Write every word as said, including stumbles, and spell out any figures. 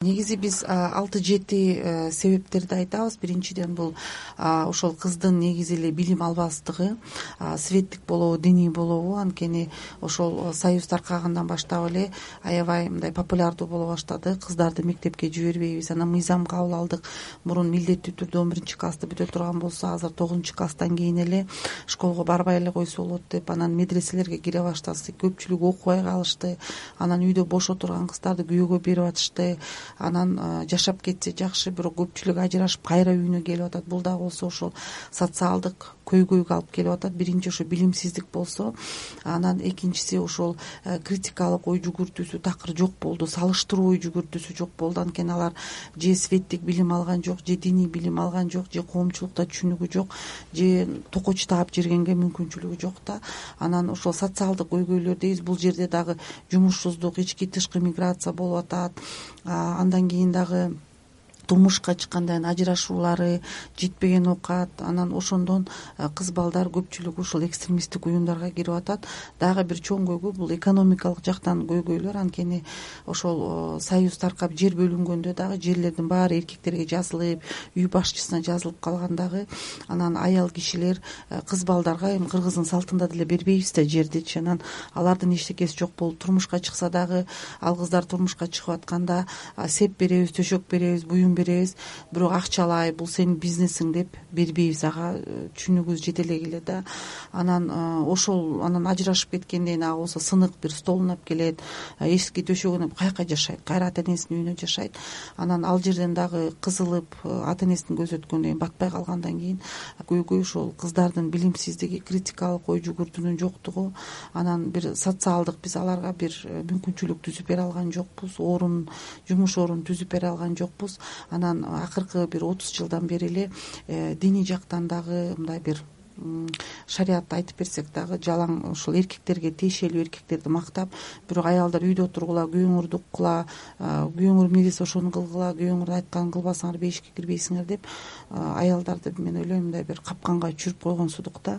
Негизи биз алты жети себептерди айтабыз. Биринчиден бул ошол кыздын негизи эле билим албастыгы, светтик болобу, диний болобу. Анткени ошол союз таркагандан баштап эле аябай мындай популярдуу боло баштады. Кыздарды мектепке жибербейбиз. Анан мыйзам кабыл алдык. Мурун милдеттүү түрдө он биринчи классты бүтө турган болсо, азыр тогузунчу класстан кийин эле школго барбай эле койсо болот деп, анан медреселерге кире баштаса көпчүлүгү окубай калышты. Анан үйдө бош отурган кыздарды күйөөгө берип атышты. Анан жашап кетсе жакшы, бирок көпчүлүк ажырашып кайра үйүнө келип атат. Бул дагы болсо ошол социалдык көйгөйгө алып келип атат. Биринчи ошо билимсиздик болсо, анан экинчиси ошол критикалык ой жүгүртүүсү такыр жок болду, салыштыруу ой жүгүртүүсү жок болду. Анткени алар же светтик билим алган жок, же диний билим алган жок, же коомчулукта түшүнүгү жок, же токоч таап жиргенге мүмкүнчүлүгү жок да. Анан ошол социалдык көйгөйлөр дейбиз. Бул жерде дагы жумушсуздук, ички тышкы миграция болуп атат. Андан кийин дагы турмушка чыккандан кийин ажырашуулары, жетпеген оокат. Анан ошондон кыз балдар көпчүлүгү ушул экстремисттик уюмдарга кирип атат. Дагы бир чоң көйгөй бул экономикалык жактан көйгөйлөр. Анткени ошол союз таркап жер бөлүнгөндө дагы жерлердин баары эркектерге жазылып, үй башчысына жазылып калган дагы. Анан аял кишилер кыз балдарга эми кыргыздын салтында деле бербейбиз да жердичи. Анан алардын эчтекеси жок болуп турмушка чыкса дагы, ал кыздар турмушка чыгып атканда сеп беребиз, төшөк беребиз, буюм беребиз, бирок акчалай, бул сенин бизнесиң деп бербейбиз. Ага түшүнүгүбүз жете элек да. Анан ошол анан ажырашып кеткенден кийин ага болсо сынык бир столун алып келет, эски төшөгүн каяка жашайт, кайра ата энесинин үйүнө жашайт. Анан ал жерден дагы кызылып, ата энесин көзөткөндөн кийин батпай калгандан кийин көйгөй ошол кыздардын билимсиздиги, критикалык ой жүгүртүүнүн жоктугу. Анан бир социалдык биз аларга бир мүмкүнчүлүк түзүп бере алган жокпуз, орун, жумуш орун түзүп бере алган жокпуз. Анан акыркы бир отуз жылдан бери эле диний жактан дагы мындай бир шариятты айтып берсек дагы жалаң ушул эркектерге тиешелүү эркектерди мактап, бирок аялдар үйдө отургула, күйөөңөрдү уккула, күйөөңөр эмне десе ошону кылгыла, күйөөңөрдүн айтканын кылбасаңар бейишке кирбейсиңер деп аялдарды мен ойлойм мындай бир капканга түшүрүп койгонсудук да.